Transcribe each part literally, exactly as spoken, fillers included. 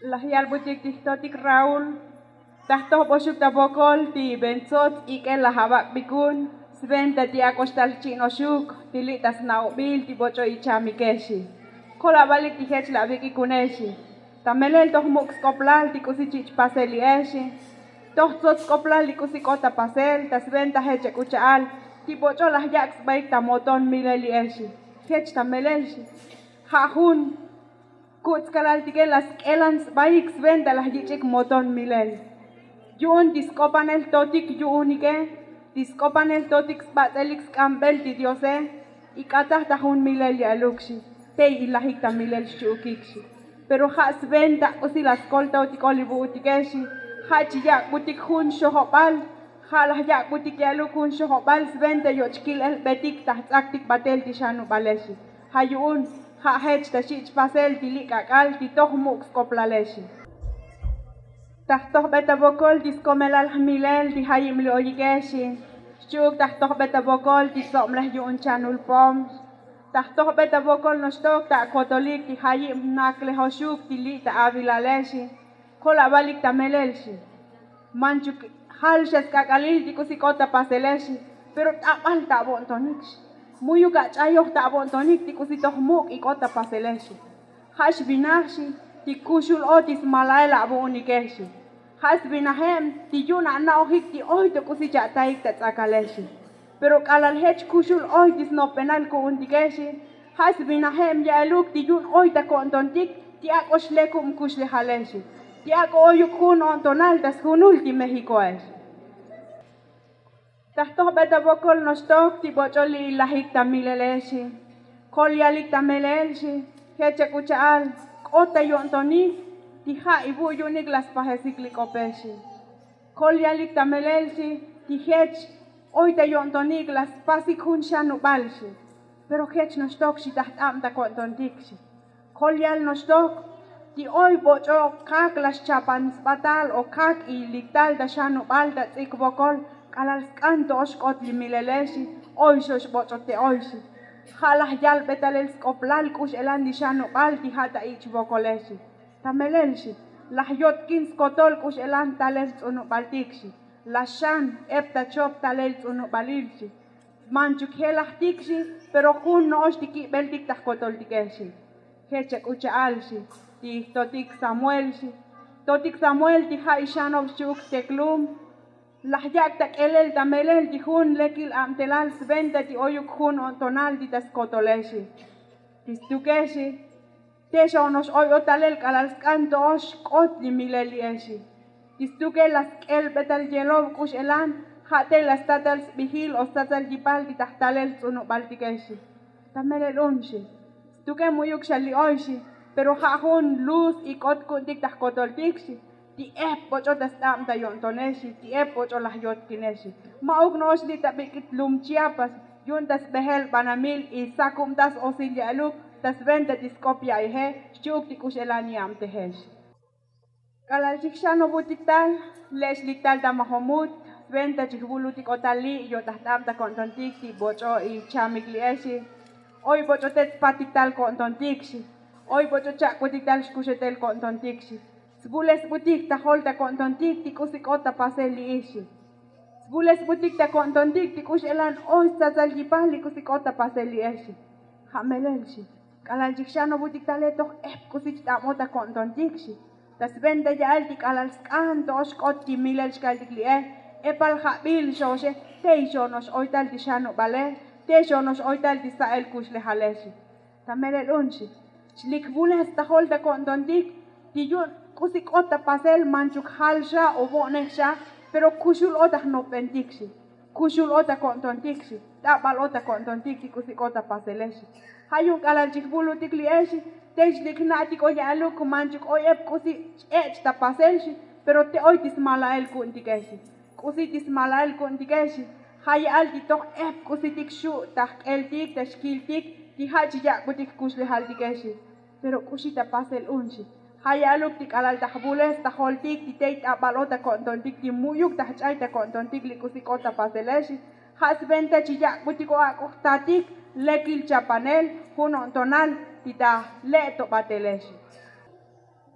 Laj yalbutik ti jtotik raúl, ta jtojboxuk ta vokol ti bentsots ik'el laj avak'bikun sventa ti ak'ox tal jchi'noxuk ti li' ta sna'obil ti boch'o ichamikexi. Kol avalik ti jech laj avik'ikunexi. Ta melel toj muk' sk'oplal ti k'usi chi' chpasel li'exi. Toj tsots sk'oplal li k'usi k'ot ta pasel ta sventa jech chak'ucha'al ti boch'o laj yak' sbaik ta moton milel li'exi. Jech ta melelxi. Ja' jun ku'tskalaltike laj sk'elan sbaik sventa laj yich'ik moton milel. Yu'un ti sk'opanel totik yu'unike ti sk'opanel totik sbats'elik sk'ambel ti diose. Ik'ataj ta jun milel ya'luk xi. Tey ilajik ta milel xchi'ukik xi. Pero ja' sventa k'usi laj skoltotiko li vu'utike xi. Ja' chi yak'butik jun xojobal. Ja' laj yak'butik ya'luk jun xojobal sventa yochkil elbetik ta jtz'aktik batel ti xanubale xi. Ja' yu'un ja' jech ta xi' chpasel ti li' k'ak'al ti toj muk' sk'oplale xi. Ta jtojbe ta vokol ti skomelal jmilel ti jayib li' oyike xi. Xchi'uk ta jtojbe ta vokol ti tsob'lej yu'un chanul pom. Ta jtojbe ta vokol noxtok ta akotolik ti jayib jnaklejoxuk ti li' ta avilale xi. Kol avalik ta melel xi. Manchuk jal xa sk'ak'alil ti k'usi k'ot ta pasele xi. Pero t'abal ta avo'ntonik xi. Mu'yuk ach'ayoj ta avo'ntonik ti k'usi toj muk' ik'ot ta pasele xi. Ja' xvinaj xi ti kuxul o ti smalael avu'unike xi. Ja' svinajeb ti yu'un ana'ojik ti oy to k'usi cha'taik ta tz'akale xi. Pero k'alal jech kuxul oy ti snopbenal ku'untike xi. Ja' svinajeb ya'eluk ti yu'un oy ta ko'ntontik ti ak'o xlekub kuxlejale xi. Ti ak'o oyuk jun o'ntonal ta sjunul ti mexikoe xi. Ta jtojbe ta vokol noxtok ti boch'o li' ilajik ta milele xi. Kol yalik ta melel xi. Jech chak'ucha'al k'ot ta yo'ntonik ti ja' ivu' yu'unik laj spajesik li k'ope xi. Kol yalik ta melel xi. Ti jech oy ta yo'ntonik laj spasik jun xanubal xi. Pero jech noxtok xi ta jt'ab ta ko'ntontik xi. Kol yal noxtok ti oy boch'o kak laj xchapan sbatal o kak ilik tal ta xanubal ta tz'ik vokol. K'alal sk'an to'ox k'ot li milele xi. Oy xox boch'o te oy xi. Ja' laj yalbe talel sk'oplal k'ux elan ti xanubal ti ja' ta ich' vokole xi. Ta melel xi. Laj yotkin skotol k'ux elan talel ts'unubaltik xi. Laj xan ep ta chop talel ts'unubalil xi. Manchuk jelajtik xi. Pero jun no'ox ti kibeltik ta jkotoltike xi. Jech chak'ucha'al xi ti jtotik samuel xi. Totik samuel ti ja' ixanob xchi'uk jteklum. Laj yak' ta k'elel ta melel ti jun lekil abtelal sventa ti oyuk jun o'ntonal ti ta skotole xi. Ti stuke xi. Te xo'onox oy o talel k'alal sk'an to'ox k'ot li milel li'exi. Ti stuke laj sk'elbe tal yelob k'ux elan ja' te laj statal sbijil o statal yipal ti ta jtalel ts'unubaltike xi. Ta melel un xi. Stuke mu'yuk xa li oy xi. Pero ja' jun luz ik'ot ku'untik ta jkotoltik xi. Ti ep boch'o ta st'ab ta yo'ntonexi ti ep boch'o laj yotkinexi. Ma'uk no'ox li' ta bik'it lum chiapas. Yu'un ta sbejel banamil isakubtas osil ya'luk ta sventa ti sk'op ya'ijex xchi'uk ti k'ux elan yabtejex. K'alal chijxanobutik tal le'ex lik tal ta majomut sventa chijvulutik o tal li' yo' ta jt'ab ta ko'ntontik ti boch'o ichamik li'exi. Oy boch'o te tspatik tal ko'ntontik xi. Oy boch'o chak'butik tal xkuxetel ko'ntontik xi. Svulesbutik ta jol ta ko'ntontik ti k'usi k'ot ta pasel li'ixi. Svulesbutik ta ko'ntontik ti k'ux elan oy stsatsal yipal li k'usi k'ot ta pasel li'exi. Ja' melel xi. K'alal chijxanobutik tale toj ep k'usi cht'abot ta ko'ntontik xi. Ta sventa ya'el ti k'alal sk'an to'ox k'ot ti milel xkaltik li'e. Epal jabil xoxe. Tey xo'onox oy tal ti xanubale. Tey xo'onox oy tal ti sa'el kuxlejale xi. Ta melel un xi. Xlik vules ta jol ta ko'ntontik ti yu'un k'usi k'ot ta pasel manchuk jal xa o vo'nej xa. Pero kuxul o ta jnopbentik xi. Kuxul o ta ko'ntontik xi. T'abal o ta ko'ntontik ti k'usi k'ot ta pasele xi. Ja' yu'un k'alal chijvulutik li'exi. Tey xlik jna'tik o ya'luk manchuk oy ep k'usi ch-ech' ta pasel xi. Pero te oy ti smalael ku'untike xi. K'usi ti smalael ku'untike xi. Ja' ya'al ti toj ep k'usitik xu' ta jk'eltik ta xkiltik ti ja' chi yak'butik jkuxlejaltike xi. Pero k'uxi ta pasel un xi. Ja' ya'luk ti k'alal ta jvules ta joltik ti tey t'abal o ta ko'ntontik ti mu'yuk ta jch'ay ta ko'ntontik li k'usi k'ot ta pasele xi. Ja' sventa chi yak'butik o ak'o jtatik lekil chapanel jun o'ntonal ti ta jle' to batele xi.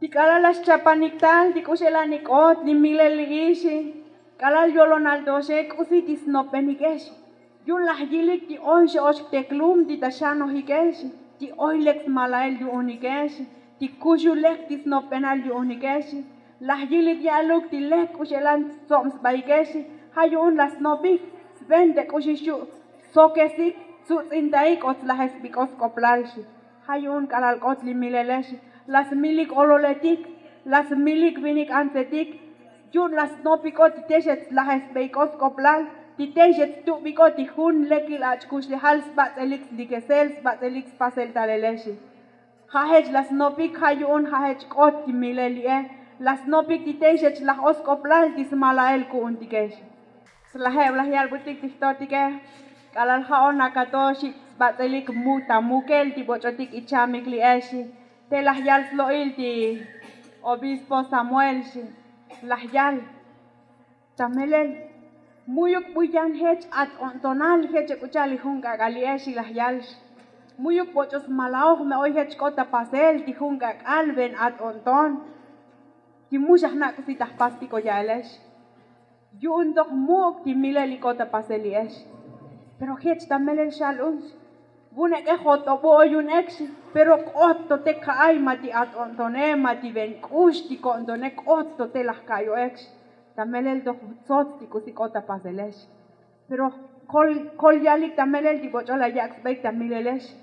Ti k'alal laj xchapanik tal ti k'u x'elanik k'ot li milel li'i xi. K'alal yolonal to xe k'usi ti snopbenike xi. Yu'un laj yilik ti oy xe'ox jteklum ti ta xanojike xi. Ti oy lek smalael yu'unike xi. Ti kuxul lek ti snopbenal yu'unike xi. Laj yilik ya'luk ti lek k'u x'elan stsob sbaike xi. Ja' yu'un laj snopik sben te k'uxi xu' sokesik tsuts'intaik o tslajes sbik'o sk'oplal xi. Ja' yu'un k'alal k'ot li milele xi. Laj smilik ololetik, laj smilik vinik antsetik. Yu'un laj snopik'o ti tey xet slajes sbeik'o sk'oplal, ti tey xet stubik'o ti jun lekil ach' kuxlejal sbats'elik slikesel sbats'elik spasel talele xi. Ja' jech laj snopik ja' yu'un ja' jech k'ot ti milel li'e. Laj snopik ti tey xech laj o sk'oplal ti smalael ku'untike xi. Slajeb laj yalbutik ti jtotike. K'alal ja' o nakato xi sbats'elik mu ta mukel ti boch'otik ichamik li'e xi. Te laj yal slo'il ti obispo samuel xi. Laj yal ta melel, mu'yuk bu yan jech at o'ntonal jech ek'u cha'al li jun k'ak'al li'e xi laj yal xi. Mu'yuk boch'o smalaoj me oy jech k'ot ta pasel ti jun k'ak'al ven at o'nton. Ti mu xa jna' k'usi ta jpastik o ya'ele xi. Yu'un toj muk' ti milel li k'ot ta pasel li'e xi. Pero jech ta melel xal un xi. Vun ek'e jot'obu o yu'un ek xi. Pero k'ot to te ka'ay ma ti at o'ntone ma ti ven k'ux ti ko'ntone k'ot to te laj ka'yo ek xi. Ta melel toj tsots ti k'usi k'ot ta pasele xi. Pero kol yalik ta melel ti boch'o laj yak' sbaik ta milele xi.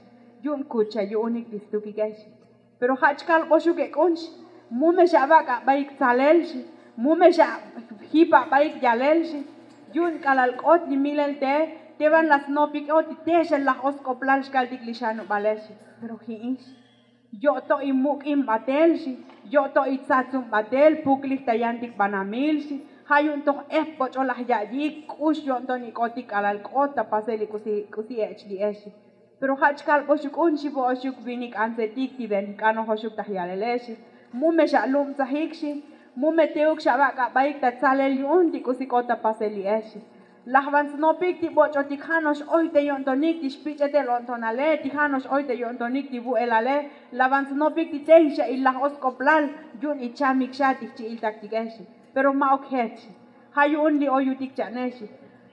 Yu'un kucha yu'unik ti stukike xi. Pero ja' chkalboxuk ek'un xi. Mu me xabak' abaik tsalel xi. Mu me xajip abaik yalel xi. Yu'un k'alal k'ot li milel te te van laj snopik o ti te xa laj o sk'oplal xkaltik li xanubale xi. Pero ji'in xi. Yo'to imuk' in batel xi. Yo'to itsatzun batel puklij ta yantik banamil xi. Ja' yu'un toj ep boch'o laj ya'yik k'ux yo'nton ik'otik k'alal k'ot ta pasel li k'usi ech' li'e xi. Pero ja' chkalboxuk un xi vo'oxuk vinik antsetik ti ven jk'anojoxuk ta jyalele xi. Mu me xalubtsajik xi. Mu me teuk xabak' abaik ta tsalel yu'un ti k'usi k'ot ta pasel li'e xi. Laj van snopik ti boch'otik ja' no'ox oy te yo'ntonik ti xpich'etel o'ntonale ti ja' no'ox oy te yo'ntonik ti vu'elale. Laj van snopik ti tey xa ilaj o sk'oplal yu'un ichamik xa ti jchi'iltaktike xi. Pero ma'uk jech xi. Ja' yu'un li oyutik cha'ne xi.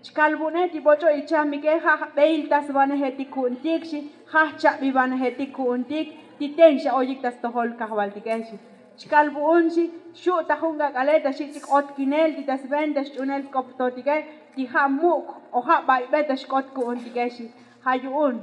Chkal vu'une ti boch'o ichamike ja' jbeilta svanejetik ku'untik xi. Ja' jchabivanejetik ku'untik ti tey xa oyik ta stojol kajvaltike xi. Chkal vu'un xi. Xu' ta jun k'ak'ale ta xich' k'ot kinel ti ta sven ta xch'unel sk'op jtotike ti ja' muk' o ja' baybe ta xk'ot ku'untike xi. Ja' yu'un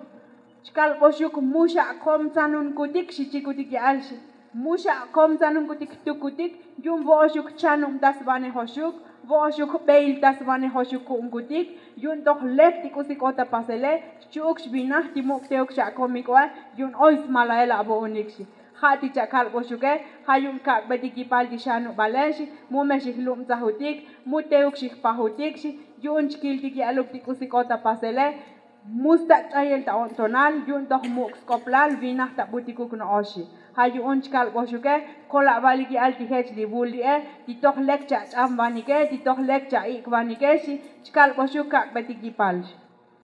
chkalboxuk mu xakomtzanunkutik xi chikutik ya'al xi. Mu xakomtzanunkutik jtukutik. Yu'un vo'oxuk jchanubta svanejoxuk. Vo'oxuk jbeilta svanejoxuk ku'unkutik. Yu'un toj lek ti k'usi k'ot ta pasele xchu'uk xvinaj ti muk' teuk xakomiko'e. Yu'un oy smalael avo'unik xi. Ja' ti chakalboxuke. Ja' yu'un kak'betik yipal ti xanubale xi. Mu me xijlubtsajutik mu teuk xijpajutik xi. Yu'un chkiltik ya'luk ti k'usi k'ot ta pasele. Mu stak' ch'ayel ta o'ntonal yu'un toj muk' sk'oplal vinaj ta butikuk no'ox xi. Ja' yu'un chkalboxuke. Kolabalik ya'al ti jech li vul li'e ti toj lek chach'amvanike ti toj lek cha'ik'vanike xi. Chkalboxuk kak'betik yipal xi.